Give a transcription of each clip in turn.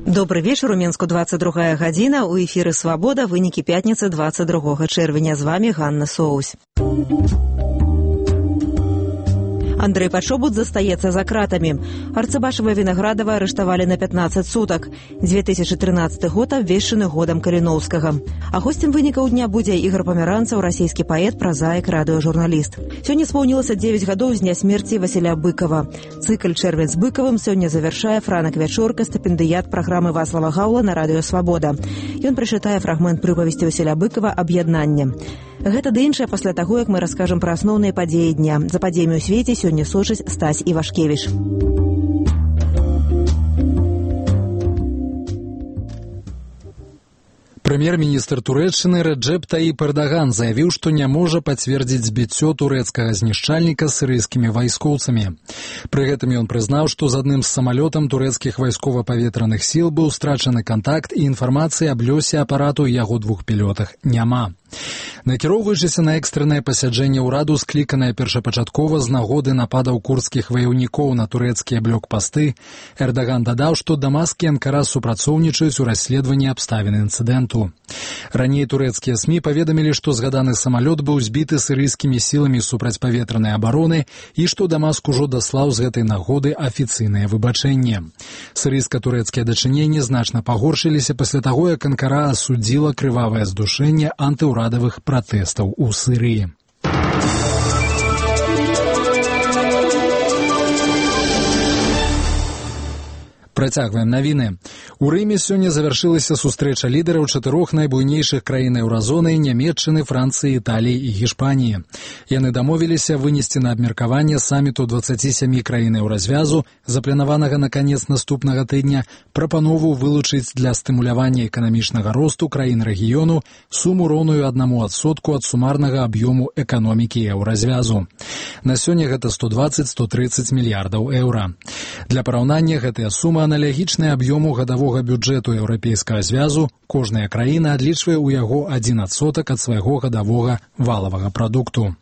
Добрый вечер. У Менску 22 гадзіна. У эфіры «Свабода». Вынікі пятніцы 22 чэрвеня. З вами Ганна Соусь. Андрей Пачобут застаецца за кратамі. Арцыбашева Вінаградова арыштавалі на 15 сутак. 2013 год абвешчаны годам Каліноўскага. А госцем вынікаў дня будзе Ігор Памяранцаў, расійскі паэт, празаік, радыёжурналіст. Сёння спаўнілася 9 гадоў з дня смерці Васіля Быкова. Цыкл «Чэрвень з Быкавым» сёння завяршае Франак Вячорка, стыпендыят праграмы Вацлава Гаўла на радыё «Свабода». Ён прачытае фрагмент прыпавесці Васіля Быкова «Аб'яднанне». Гэта ды іншае пасля таго, як мы раскажам пра асноўныя падзеі дня. За падзеямі ў свеце сёння сочыць Стась Івашкевіч. Прэм'ер-міністр Турэччыны Рэджэп Таіп Эрдаган заявіў, што не можа пацвердзіць збіццё турэцкага знішчальніка сірыйскімі вайскоўцамі. Пры гэтым ён прызнаў, што з адным з самалётам турэцкіх вайскова-паветраных сіл быў страчаны кантакт і інфармацыі аб лёсе апарату і яго двух пілётах няма. Накіроўваючыся на экстраннае пасяджэнне ўраду, скліканае першапачаткова з нагоды нападаў курдскіх ваяўнікоў на турэцкія блокпасты, Эрдаган дадаў, што Дамаск і Анкара супрацоўнічаюць у расследаванні абставін інцыдэнту. Раней турэцкія СМІ паведамілі, што згаданы самалёт быў збіты сірыйскімі сіламі супрацьпаветранай абароны і што Дамаск ужо даслаў з гэтай нагоды афіцыйнае выбачэнне. Сірыйска-турэцкія дачыненні значна пагоршыліся пасля таго, як Анкара асудзіла крывавае здушэнне антыўрадавых пратэстаў у Сірыі. Працягваем навіны. У Рыме сёння завяршылася сустрэча лідараў 4 найбуйнейшых краін еўразоны – Нямецчыны, Францыі, Італіі і Гішпаніі. Яны дамовіліся вынесці на абмеркаванне саміту 27 краін еўразвязу, запланаванага на канец наступнага тыдня, прапанову вылучыць для стымулявання эканамічнага росту краін рэгіёну суму роўную 1% ад сумарнага аб'ёму эканомікі еўразвязу. На сёння гэта 120-130 мільярдаў еўра. Для параўнання гэтая сума аналогічная аб'ёму гадавога бюджэту Еўрапейскага звязу, кожная краіна адлічвае ў яго 1% ад свайго гадавога валавага прадукту.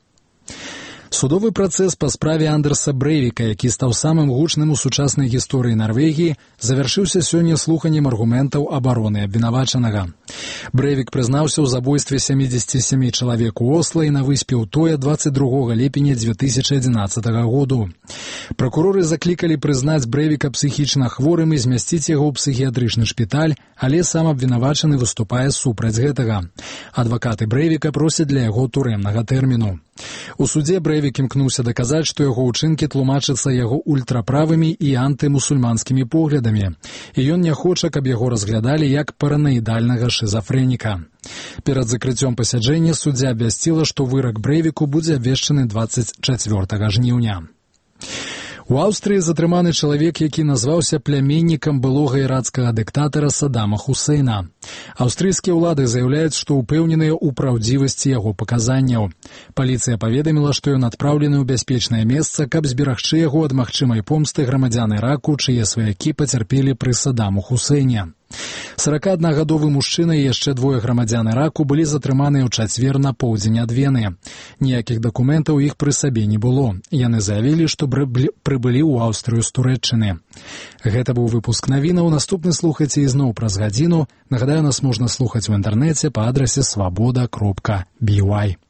Судовы працэс па справе Андерса Брэйвіка, які стаў самым гучным у сучаснай гісторыі Нарвегіі, завяршыўся сёння слуханнем аргументаў абароны абвінавачанага. Брэйвік прызнаўся ў забойстве 77 чалавек у Осла і на выспе Утоя 22 ліпеня 2011 году. Пракуроры заклікалі прызнаць Брэйвіка псіхічна хворым і змясціць яго ў псіхіятрычны шпіталь, але сам абвінавачаны выступае супраць гэтага. Адвакаты Брэйвіка просяць для яго турэмнага тэрміну. У судзе Брэйвік імкнуўся даказаць, што яго ўчынкі тлумачацца яго ультраправымі і антымусульманскімі поглядамі, і ён не хоча, каб яго разглядалі як параноідальнага шызафрэніка. Перад закрыццём пасяджэння суддзя абвясціла, што вырак Брэйвіку будзе абвешчаны 24 жніўня. У Аўстрыі затрыманы чалавек, які назваўся пляменнікам былога ірацкага дыктатара Саддама Хусейна. Аўстрыйскія ўлады заяўляюць, што ўпэўненыя ў праўдзівасці яго паказанняў. Паліцыя паведаміла, што ён адпраўлены ў бяспечнае месца, каб зберагчы яго ад магчымай помсты грамадзян Іраку, чые сваякі пацярпелі пры Саддаму Хусейне. 41-гадовы мужчына і яшчэ 2 грамадзян Іраку былі затрыманыя ў чацвер на поўдзень ад Вены. Ніякіх дакументаў іх пры сабе не было. Яны заявілі, што прыбылі ў Аўстрыю з Турэччыны. Гэта быў выпуск навінаў. Наступны слухайце ізноў праз гадзіну. Нагадаю, нас можна слухаць у інтэрнэце па адрасе swaboda.by.